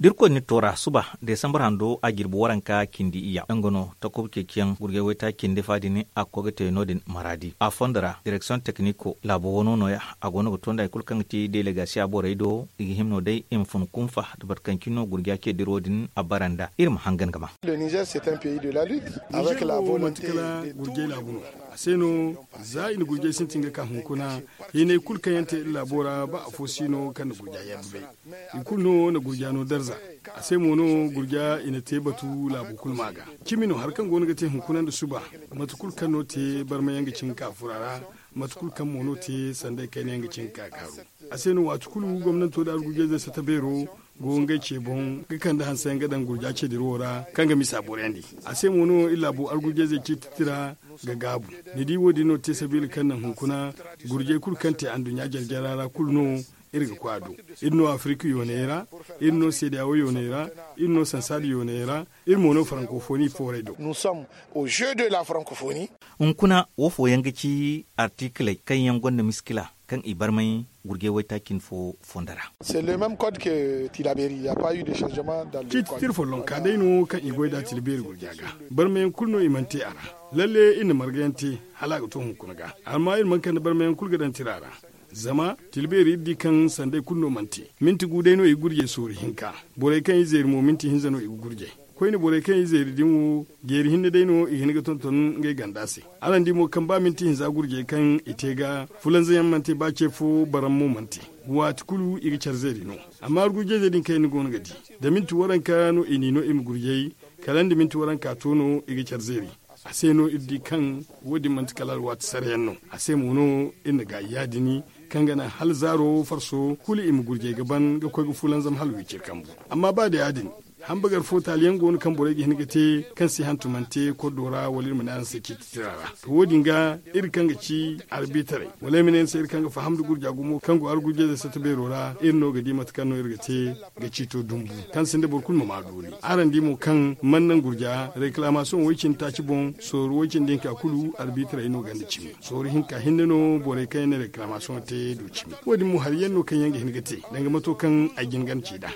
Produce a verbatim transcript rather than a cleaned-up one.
Da irkoy na ni toora suba desambar hando a jirbi waranka cindi iyya nga no takob ceeciyaŋ gurjay waytaaci cindi fa din a ga koy ga te no- din maraadi a fondo ra direksiyoŋ tekniko laabo wano nooya. A go no ga to nda hari kulu kaŋ ga ti delegasiya borey do i ga hima no day i ma fun kunfa da boro kaŋ cine no gurja ce diro din a bara nd'a iri ma hangan ga ma. Nizer se tanpe i de la lutte. A se no za i na gurjay sintin ga ka hunkuna hinay kulu kaŋ yaŋ te iri laabo ra ba afo si no kaŋ na gurja yaŋ dubay. I kulu no na gurja no darza. A se mo no gurja i na te batu laabo kulu ma ga cimi no hari kaŋ go no ga te hunkuna nda suba. Mate kulu kaŋ no te barma yaŋ ga cin ga ka fura ra. Mate kulu kaŋ mo no te sanday kayna yaŋ ga cin ga ka kaaru. A se no waati kulu gomnanto nda argujayzey sata beero go ngey ce boŋ ga kande hanse yaŋ ga daŋ gurja ce dira wo ra kaŋ ga misa boro yaŋ di. A se mo no iri laabu argujayzey ciiti tira ga gaabu. Ni di wo- din no te sabiila kaŋ naŋ hunkuna gurjay kulu kaŋ te anduɲɲa jare jara ra kulu no iri ga koy a do. Iri no afirika yooney ra, iri no seediyaawo yooney ra, iri no sansaada yooney ra, iri mo no farankofoni foorey do. Hunkuna wo fooyaŋ ga ci artikiley kaŋ yaŋ gonda miskila kaŋ i barmay gurjay waytaaci cine fo fondo ra. Ciiti tira follonka day no kaŋ i goy nd'a tila beeri gurja ga. Barmayaŋ kulu no i mana te a ra. Lalle iri na marga yaŋ te hala a ga to hunkuna ga amma iri mana kande barmayaŋ kulu ga daŋ tira ra. Zama tila beeri iri di kaŋ sanday kulu no mana te. Minti gu day no i ga gurjay sooru hinka. Borey kaŋ i zeeri mo minti hinza no i ga gurjay. Koyne borey kaŋ i zeeri din wo jeeri hinne day no i hin ga tonton ngey ganda se. Araŋ di mo kaŋ ba minti hinza gurjey kaŋ i te ga fulanza yaŋ mana te ba ce fo baram mo mana te. Waati kulu i ga care zeeri no. Amma argujayzey din kaŋ yaŋ ni go no ga di, da minti waranka no i n'i no i ma gurjay. Kala nda minti waranka to no i ga care zeeri. A se no iri di kaŋ wo- din manti kala alwaati sara yaŋ no. A se mo no iri na gaayi ya- din kaŋ ga naŋ hala zaaro farso kulu i ma gurjay ga ban ga koy ga fulanzam hala wiciri kambu. Amma ba da ya- din, hambagar fo taali yaŋ go no kaŋ borey ga hin ga te kaŋ si hantumante koddo ra wala iri ma ne araŋ se ciiti tira ra. To wo- din ga iri kaŋ ga ci arbitaray wala ay ma ne ni se iri kaŋ ga faham nda gurja gumo kaŋ go argujayzey sata beero ra iri no ga di mate kaŋ no iri ga te ga ciito dumbu kaŋ sinda boro kulu ma maa dooli. Araŋ di mo kaŋ mana naŋ gurja rekilamasiyoŋ way- cindi taaci boŋ sooru way- cindi hinka kulu arbitaray no ganda cimi. Sooru hinka hinne no borey kaŋ yaŋ na rekilamasiyoŋ te du cimi. Wo- din mo hari yaŋ no kaŋ yaŋ ga hin ga te danga mato kaŋ ay jin ganda ci nd'a.